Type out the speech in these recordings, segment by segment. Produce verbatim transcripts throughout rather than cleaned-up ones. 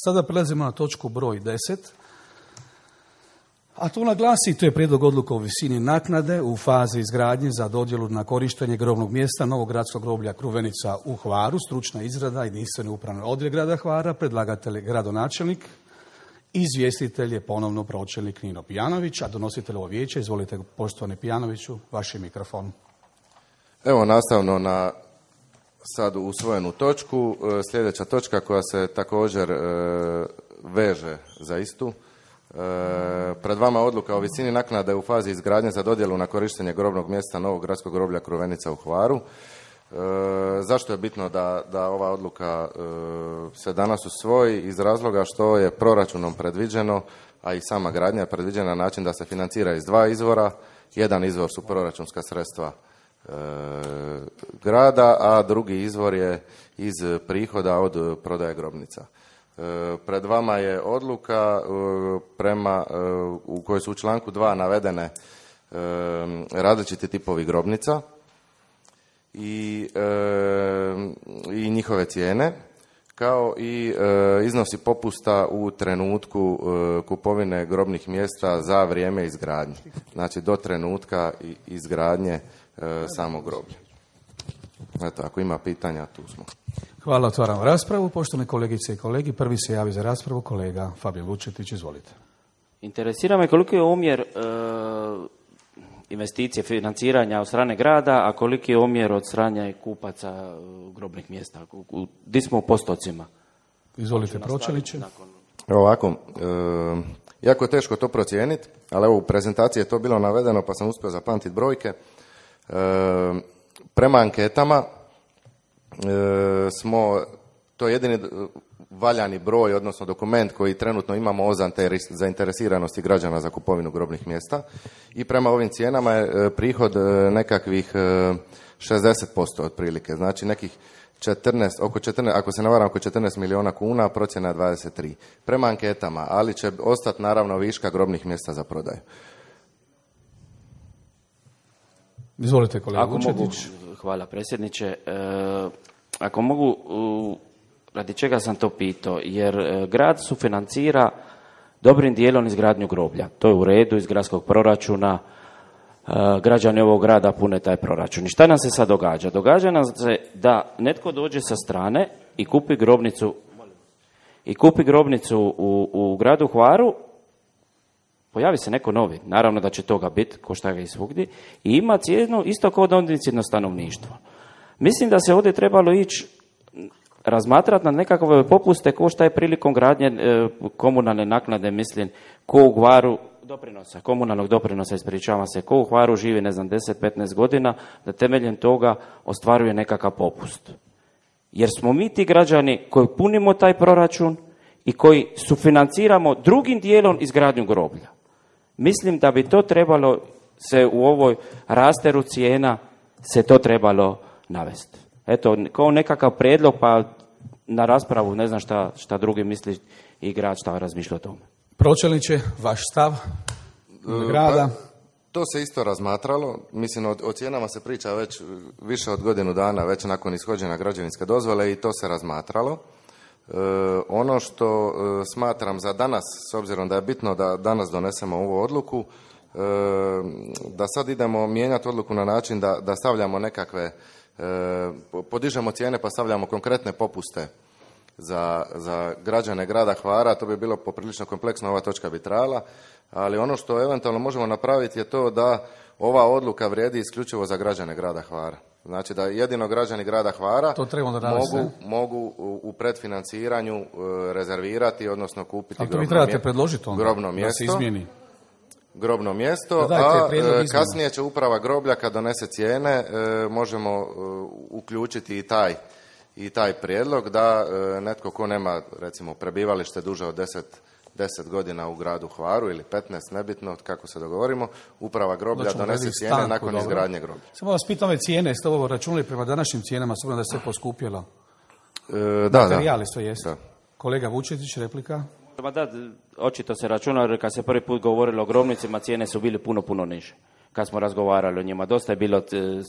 Sada prelazimo na točku broj deset. A tu naglasi, to je prijedlog odluka o visini naknade u fazi izgradnje za dodjelu na korištenje grobnog mjesta Novog gradskog groblja Kruvenica u Hvaru, stručna izrada jedinstveni upravni odjel grada Hvara, predlagatelj gradonačelnik, izvjestitelj je ponovno pročelnik Nino Pijanović, a donositelj ovo vijeće, izvolite poštovani Pijanoviću, vaš je mikrofon. Evo, nastavno na sad usvojenu točku, sljedeća točka koja se također e, veže za istu. E, pred vama odluka o visini naknade u fazi izgradnje za dodjelu na korištenje grobnog mjesta Novog gradskog groblja Kruvenica u Hvaru. E, zašto je bitno da, da ova odluka e, se danas usvoji? Iz razloga što je proračunom predviđeno, a i sama gradnja je predviđena na način da se financira iz dva izvora. Jedan izvor su proračunska sredstva e, grada, a drugi izvor je iz prihoda od prodaje grobnica. E, pred vama je odluka e, prema, e, u kojoj su u članku dva navedene e, različiti tipovi grobnica i, e, i njihove cijene, kao i e, iznosi popusta u trenutku e, kupovine grobnih mjesta za vrijeme izgradnje. Znači do trenutka izgradnje e, samog groblja. Eto, ako ima pitanja, tu smo. Hvala, otvaram raspravu. Poštovane kolegice i kolegi, prvi se javi za raspravu kolega Fabijan Vučetić, izvolite. Interesira me koliko je omjer e, investicije, financiranja od strane grada, a koliki je omjer od strane kupaca grobnih mjesta? Gdje smo u postocima? Izvolite, pročelniče. Evo ovako, e, jako je teško to procijeniti, ali evo u prezentaciji je to bilo navedeno pa sam uspio zapamtiti brojke. E, prema anketama e, smo, to je jedini valjani broj, odnosno dokument koji trenutno imamo o zainteresiranosti građana za kupovinu grobnih mjesta i prema ovim cijenama je prihod nekakvih šezdeset posto otprilike, znači nekih četrnaest, oko četrnaest, ako se ne varam, oko četrnaest milijuna kuna, procjena je dvadeset tri. Prema anketama, ali će ostati naravno viška grobnih mjesta za prodaju. Izvolite kolega ako Vučetić. Mogu, hvala predsjedniče. E, ako mogu, u, radi čega sam to pitao? Jer e, grad sufinancira dobrim dijelom izgradnju groblja. To je u redu iz gradskog proračuna. E, građani ovog grada pune taj proračun. I šta nam se sad događa? Događa nam se da netko dođe sa strane i kupi grobnicu i kupi grobnicu u, u gradu Hvaru. Pojavi se neko novi, naravno da će toga biti, ko šta ga i svugdje, i ima cijenu isto kao domicilno stanovništvo. Mislim da se ovdje trebalo ići razmatrati na nekakve popuste ko šta je prilikom gradnje e, komunalne naknade, mislim, ko u Hvaru doprinosa, komunalnog doprinosa, ispričavam se, ko u Hvaru živi, ne znam, deset do petnaest godina, da temeljem toga ostvaruje nekakav popust. Jer smo mi ti građani koji punimo taj proračun i koji sufinanciramo drugim dijelom izgradnju groblja. Mislim da bi to trebalo se u ovoj rasteru cijena se to trebalo navesti. Eto, kao nekakav prijedlog, pa na raspravu ne znam šta, šta drugi misli i grad šta razmišlja o tome. Pročelniče, vaš stav grada? Pa, to se isto razmatralo. Mislim, o, o cijenama se priča već više od godinu dana, već nakon ishođenja građevinske dozvole i to se razmatralo. E, ono što e, smatram za danas, s obzirom da je bitno da danas donesemo ovu odluku, e, da sad idemo mijenjati odluku na način da, da stavljamo nekakve, e, podižemo cijene pa stavljamo konkretne popuste za, za građane grada Hvara, to bi bilo poprilično kompleksno, ova točka bi trajala, ali ono što eventualno možemo napraviti je to da ova odluka vrijedi isključivo za građane grada Hvara. Znači da jedino građani grada Hvara mogu, mogu u predfinanciranju rezervirati, odnosno kupiti ali to grobno, vi trebate predložiti onda, grobno mjesto. Da se izmijeni. Grobno mjesto, da a kasnije će uprava groblja kad donese cijene možemo uključiti i taj, i taj prijedlog da netko ko nema recimo prebivalište duže od deset deset godina u gradu Hvaru ili petnaest, nebitno kako se dogovorimo, uprava groblja donese cijene stanku, nakon dobro. izgradnje groblja. Samo vas pitam ove cijene, ste ovo računali prema današnjim cijenama, s obzirom da se sve poskupjelo? E, da, Materijali da. to jest. Da. Kolega Vučetić, replika? Ma da, očito se računa, jer kad se prvi put govorilo o grobnicima, cijene su bile puno, puno niže. Kad smo razgovarali o njima, dosta je bilo,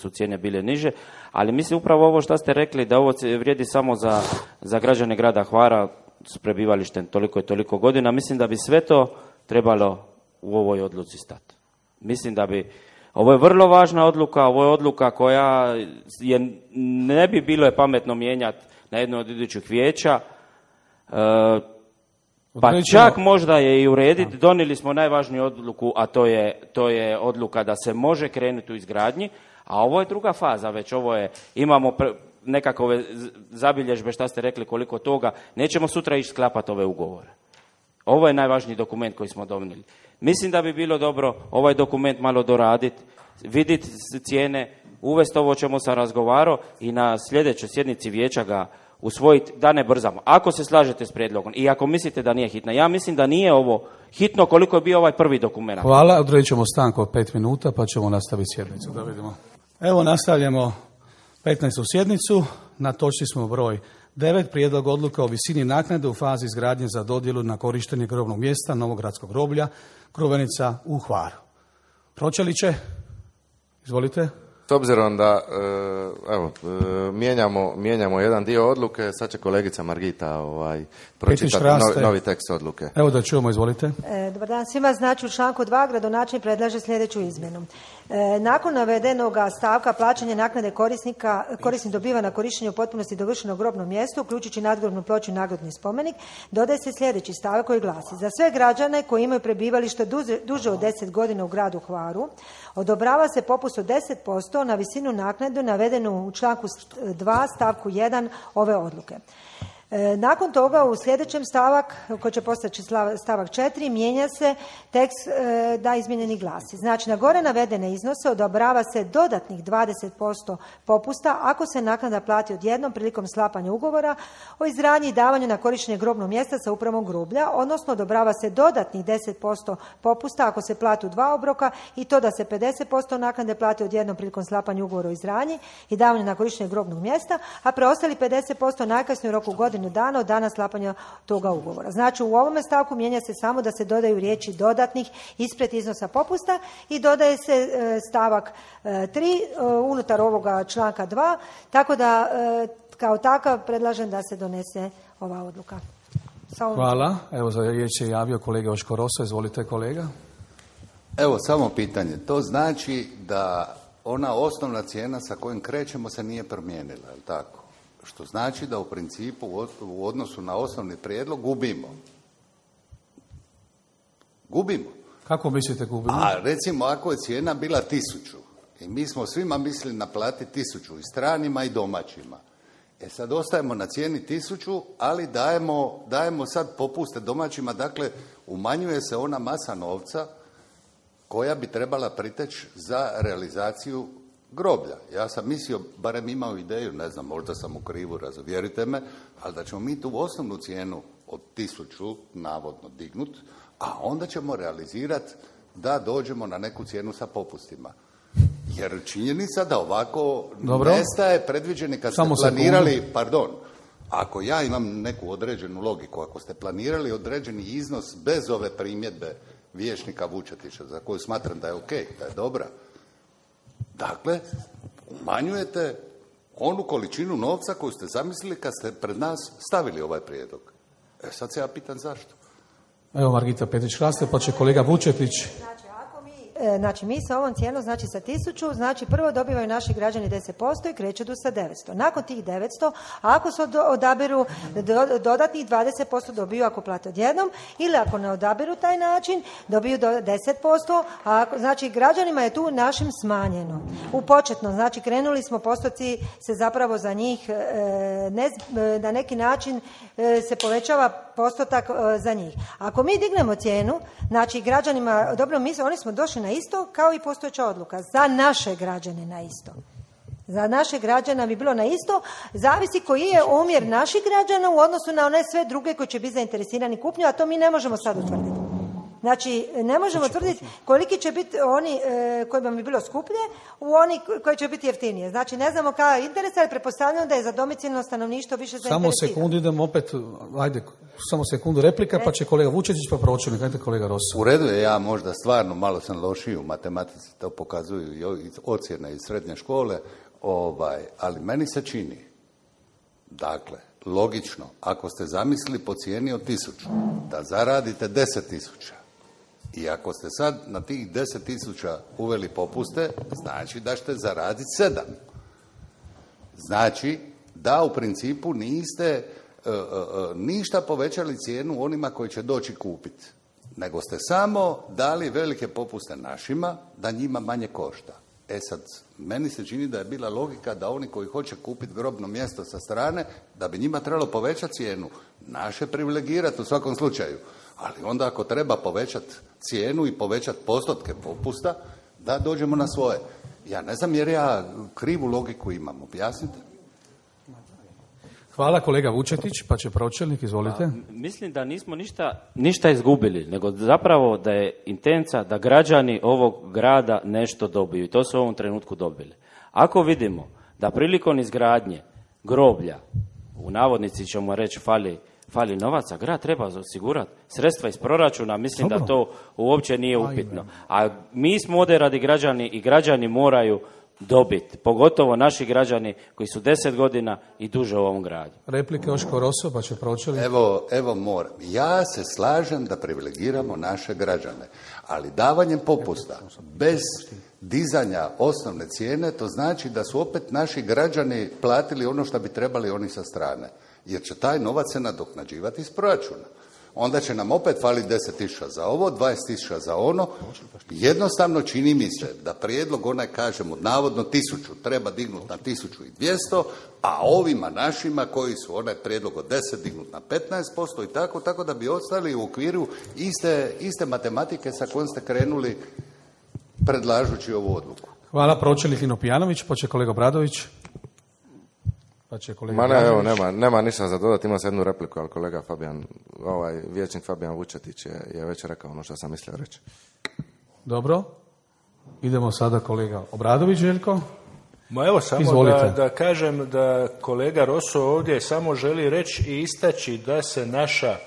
su cijene bile niže, ali mislim upravo ovo što ste rekli, da ovo vrijedi samo za, za građane grada Hvara, s prebivalištem toliko i toliko godina. Mislim da bi sve to trebalo u ovoj odluci stati. Mislim da bi, ovo je vrlo važna odluka, ovo je odluka koja je, ne bi bilo je pametno mijenjati na jedno od idućih vijeća, e, pa čak možda je i urediti. Donijeli smo najvažniju odluku, a to je, to je odluka da se može krenuti u izgradnji, a ovo je druga faza već, ovo je, imamo pre, nekakve zabilježbe, šta ste rekli, koliko toga, nećemo sutra ići sklapati ove ugovore. Ovo je najvažniji dokument koji smo donijeli. Mislim da bi bilo dobro ovaj dokument malo doraditi, vidjeti cijene, uvesti ovo o čemu sam razgovarao i na sljedećoj sjednici vijeća ga usvojiti, da ne brzamo. Ako se slažete s prijedlogom i ako mislite da nije hitno, ja mislim da nije ovo hitno koliko je bio ovaj prvi dokument. Hvala, odredit ćemo stanku od pet minuta pa ćemo nastaviti sjednicu. Da vidimo. Evo nastavljamo petnaestu sjednicu, na točci smo broj devet, prijedlog odluka o visini naknade u fazi izgradnje za dodjelu na korištenje grobnog mjesta Novogradskog groblja Kruvenica u Hvaru. Pročeliće, izvolite. S obzirom da evo, mijenjamo, mijenjamo jedan dio odluke, sad će kolegica Margita ovaj, pročitati novi, novi tekst odluke. Evo da čujemo, izvolite. E, dobar dan svima. Znači u članku dva gradonačelnik predlaže sljedeću izmjenu. E, nakon navedenog stavka plaćanje naknade korisnika, korisnik dobiva na korištenje u potpunosti dovršeno grobno mjesto, uključujući nadgrobnu ploču i nadgrobni spomenik, dodaje se sljedeći stavak koji glasi: za sve građane koji imaju prebivalište duže, duže od deset godina u gradu Hvaru, odobrava se popust od deset posto na visinu naknade navedenu u članku dva stavku jedan ove odluke. E, nakon toga u sljedećem stavak, koji će postati stavak četiri, mijenja se tekst e, da izmijenjeni glasi. Znači, na gore navedene iznose odobrava se dodatnih dvadeset posto popusta ako se naknada plati odjednom prilikom sklapanja ugovora o izgradnji i davanju na korištenje grobnog mjesta sa upravom groblja, odnosno odobrava se dodatnih deset posto popusta ako se plati u dva obroka i to da se pedeset posto naknade plati odjednom prilikom sklapanja ugovora o izgradnji i davanju na korištenje grobnog mjesta, a preostali pedeset posto najkasnije u roku godinu dana od dana sklapanja toga ugovora. Znači u ovome stavku mijenja se samo da se dodaju riječi dodatnih ispred iznosa popusta i dodaje se e, stavak e, tri e, unutar ovoga članka dva, tako da e, kao takav predlažem da se donese ova odluka. Samo... Hvala. Evo za riječ je javio kolega Joško Rosa. Izvolite kolega. Evo samo pitanje. To znači da ona osnovna cijena sa kojom krećemo se nije promijenila, je li tako? Što znači da u principu u odnosu na osnovni prijedlog gubimo. Gubimo. Kako mislite gubimo? A recimo ako je cijena bila tisuću i mi smo svima mislili naplatiti tisuću i stranima i domaćima. E sad ostajemo na cijeni tisuću, ali dajemo, dajemo sad popuste domaćima, dakle umanjuje se ona masa novca koja bi trebala priteći za realizaciju groblja. Ja sam mislio, barem imao ideju, ne znam, možda sam u krivu, razuvjerite me, ali da ćemo mi tu osnovnu cijenu od tisuću navodno dignut, a onda ćemo realizirati da dođemo na neku cijenu sa popustima. Jer činjenica da ovako Dobro. nestaje predviđeni kad Samo ste planirali, sekundu. pardon, ako ja imam neku određenu logiku, ako ste planirali određeni iznos bez ove primjedbe vijećnika Vučetića, za koju smatram da je ok, da je dobra, dakle, umanjujete onu količinu novca koju ste zamislili kad ste pred nas stavili ovaj prijedlog. E sad se ja pitam zašto. Evo Margita Petrić-Hraste, pa će kolega Vučetić. Znači, ako mi, e, znači mi sa ovom cijenom, znači sa tisuću, znači prvo dobivaju naši građani deset posto i kreću do sa devetsto. Nakon tih devetsto, ako se odaberu do, dodatnih dvadeset posto dobiju ako plate odjednom, ili ako ne odaberu taj način, dobiju do deset posto, a ako, znači građanima je tu našim smanjeno. U početno, znači krenuli smo, postoci se zapravo za njih e, ne, na neki način e, se povećava postotak e, za njih. Ako mi dignemo cijenu, znači građanima, dobro, mi oni smo došli na isto kao i postojeća odluka, za naše građane na isto. Za naše građana bi bilo na isto, zavisi koji je omjer naših građana u odnosu na one sve druge koji će biti zainteresirani kupnju, a to mi ne možemo sad utvrditi. Znači, ne možemo tvrditi koliki će biti oni e, kojima bi bilo skuplje u oni koji će biti jeftinije. Znači, ne znamo kada je interes, ali pretpostavljamo da je za domicilno stanovništvo više zainteresirano. Samo sekundu, idemo opet, ajde, samo sekundu replika, pa će kolega Vučetić, pa pročelnik, ajde kolega Rosa. U redu je, ja možda stvarno malo sam lošiji u matematici, to pokazuju i ocjene iz srednje škole, ovaj, ali meni se čini, dakle, logično, ako ste zamislili po cijeni od tisuću, da zaradite deset tisuća. I ako ste sad na tih deset tisuća uveli popuste, znači da ćete zaraditi sedam. Znači da u principu niste uh, uh, ništa povećali cijenu onima koji će doći kupiti, nego ste samo dali velike popuste našima da njima manje košta. E sad, meni se čini da je bila logika da oni koji hoće kupiti grobno mjesto sa strane, da bi njima trebalo povećati cijenu. Naše privilegirati u svakom slučaju. Ali onda ako treba povećati cijenu i povećati postotke popusta, da dođemo na svoje. Ja ne znam jer ja krivu logiku imam. Objasnite. Hvala kolega Vučetić, pa će pročelnik, izvolite. Pa, mislim da nismo ništa, ništa izgubili, nego zapravo da je intenca da građani ovog grada nešto dobiju i to su u ovom trenutku dobili. Ako vidimo da prilikom izgradnje groblja, u navodnici ćemo reći fali, fali novaca, grad treba osigurati sredstva iz proračuna, mislim Dobro. da to uopće nije upitno. A mi smo ovdje radi građani i građani moraju dobiti, pogotovo naši građani koji su deset godina i duže u ovom gradu. Replike Joško Roso, pa će pročeli. Evo, evo moram. Ja se slažem da privilegiramo naše građane, ali davanjem popusta bez dizanja osnovne cijene, to znači da su opet naši građani platili ono što bi trebali oni sa strane, jer će taj novac se nadoknađivati iz proračuna. Onda će nam opet faliti deset tisuća za ovo, dvadeset tisuća za ono. Jednostavno čini mi se da prijedlog onaj, kažemo, navodno tisuću treba dignuti na tisuću dvjesto, a ovima našima koji su onaj prijedlog od deset dignuti na petnaest posto i tako, tako da bi ostali u okviru iste, iste matematike sa kojom ste krenuli predlažući ovu odluku. Hvala, pročelnik Lino Pijanović, pa će kolega Bradović. Pa će kolega Ma ne, evo, nema, nema ništa za dodati, ima se jednu repliku, ali kolega Fabijan, ovaj vijećnik Fabijan Vučetić je, je već rekao ono što sam mislio reći. Dobro, idemo sada kolega Obradović, Željko. Ma evo samo da, da kažem da kolega Roso ovdje samo želi reći i istaći da se naša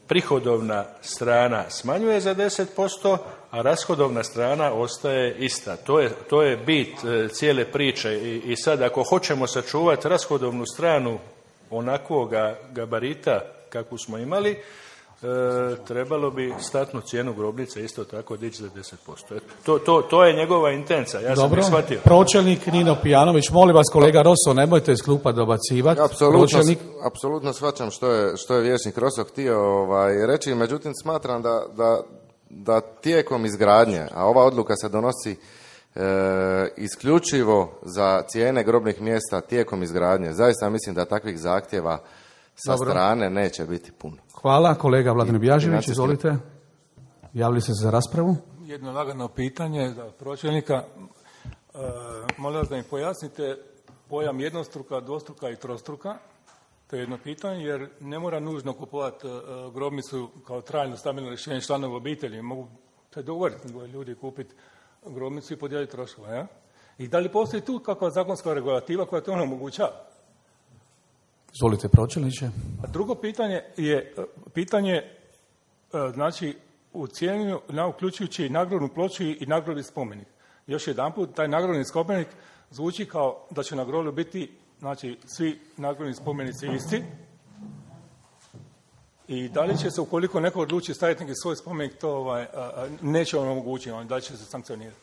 prihodovna strana smanjuje za deset posto, a rashodovna strana ostaje ista. To je, to je bit e, cijele priče I, i sad ako hoćemo sačuvati rashodovnu stranu onakvoga gabarita kakvu smo imali, e, trebalo bi statnu cijenu grobnice isto tako dići za deset posto. To, to, to je njegova intenca, ja Dobro. sam shvatio. Pročelnik Nino Pijanović, molim vas kolega Roso, nemojte iz klupa dobacivati. Apsolutno, Pročelnik... apsolutno shvaćam što je, što je vijećnik Roso htio ovaj, reći, međutim smatram da, da, da tijekom izgradnje, a ova odluka se donosi e, isključivo za cijene grobnih mjesta tijekom izgradnje, zaista mislim da takvih zahtjeva sa Dobro. strane neće biti puno. Hvala, kolega Vladimir Bjažević, izvolite. Javili ste se za raspravu. Jedno lagano pitanje za pročelnika. E, molim vas da mi pojasnite pojam jednostruka, dvostruka i trostruka. To je jedno pitanje, jer ne mora nužno kupovati e, grobnicu kao trajno stabilno rješenje članova obitelji. Mogu se dogovoriti dvoje ljudi kupiti grobnicu i podijeliti troškove. Ja? I da li postoji tu kakva zakonska regulativa koja to omogućava? Izvolite, pročelniče. A drugo pitanje je pitanje, znači, u cijenu, na uključujući i nagradnu ploču i nagradni spomenik. Još jedanput, taj nagradni spomenik zvuči kao da će na groblju biti, znači, svi nagradni spomenici isti. I da li će se, ukoliko neko odluči staviti neki svoj spomenik, to ovaj, neće on omogućiti, da li će se sankcionirati.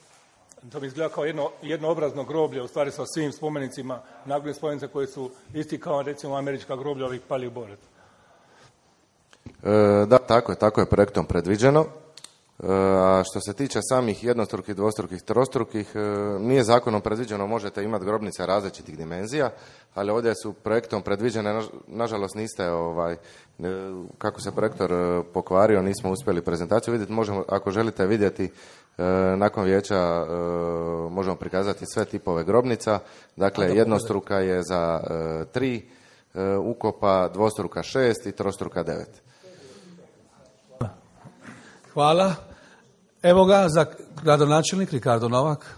To bi izgleda kao jedno, jednoobrazno groblje, u stvari sa svim spomenicima, nagradnim spomenicima koji su isti kao, recimo, američka groblja ovih pali u Boret. E, da, tako je, tako je projektom predviđeno. E, a što se tiče samih jednostrukih, dvostrukih, trostrukih, e, nije zakonom predviđeno, možete imati grobnice različitih dimenzija, ali ovdje su projektom predviđene, na, nažalost niste, ovaj, kako se projektor pokvario, nismo uspjeli prezentaciju vidjeti, možemo, ako želite vidjeti, E, nakon vijeća e, možemo prikazati sve tipove grobnica. Dakle, jednostruka je za e, tri e, ukopa, dvostruka šest i trostruka devet. Hvala. Evo ga za gradonačelnik Ricardo Novak.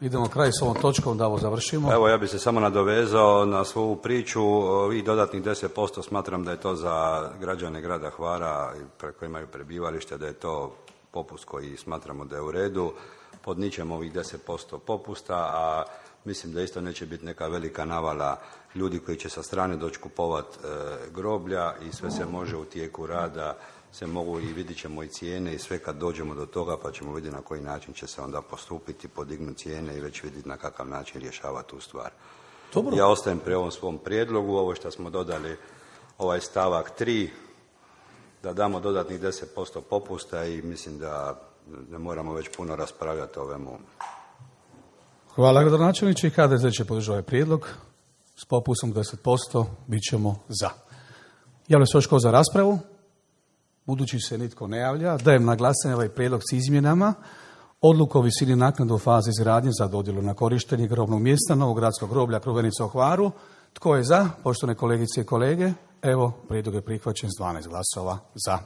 Idemo kraj s ovom točkom da ovo završimo. Evo, ja bih se samo nadovezao na svoju priču. I dodatnih deset posto smatram da je to za građane grada Hvara koji imaju prebivalište, da je to popust koji smatramo da je u redu. Podničemo ovih deset posto popusta, a Mislim da isto neće biti neka velika navala ljudi koji će sa strane doći kupovati e, groblja i sve se može u tijeku rada, se mogu i vidit ćemo i cijene i sve kad dođemo do toga pa ćemo vidjeti na koji način će se onda postupiti, podignuti cijene i već vidjeti na kakav način rješavati tu stvar. Dobro. Ja ostajem pri ovom svom prijedlogu, ovo što smo dodali, ovaj stavak tri, da damo dodatnih deset posto popusta i mislim da ne moramo već puno raspravljati o ovemu. Hvala gradonačelniče i H D Z će podržati ovaj prijedlog. S popustom deset posto bit ćemo za. Javlja se još ko za raspravu? Budući se nitko ne javlja, dajem na glasanje ovaj prijedlog s izmjenama. Odluku o visini naknade u fazi izgradnje za dodjelu na korištenje grobnog mjesta Novog gradskog groblja Kruvenica u Hvaru. Tko je za? Poštovane kolegice i kolege, evo, prijedlog je prihvaćen s dvanaest glasova za.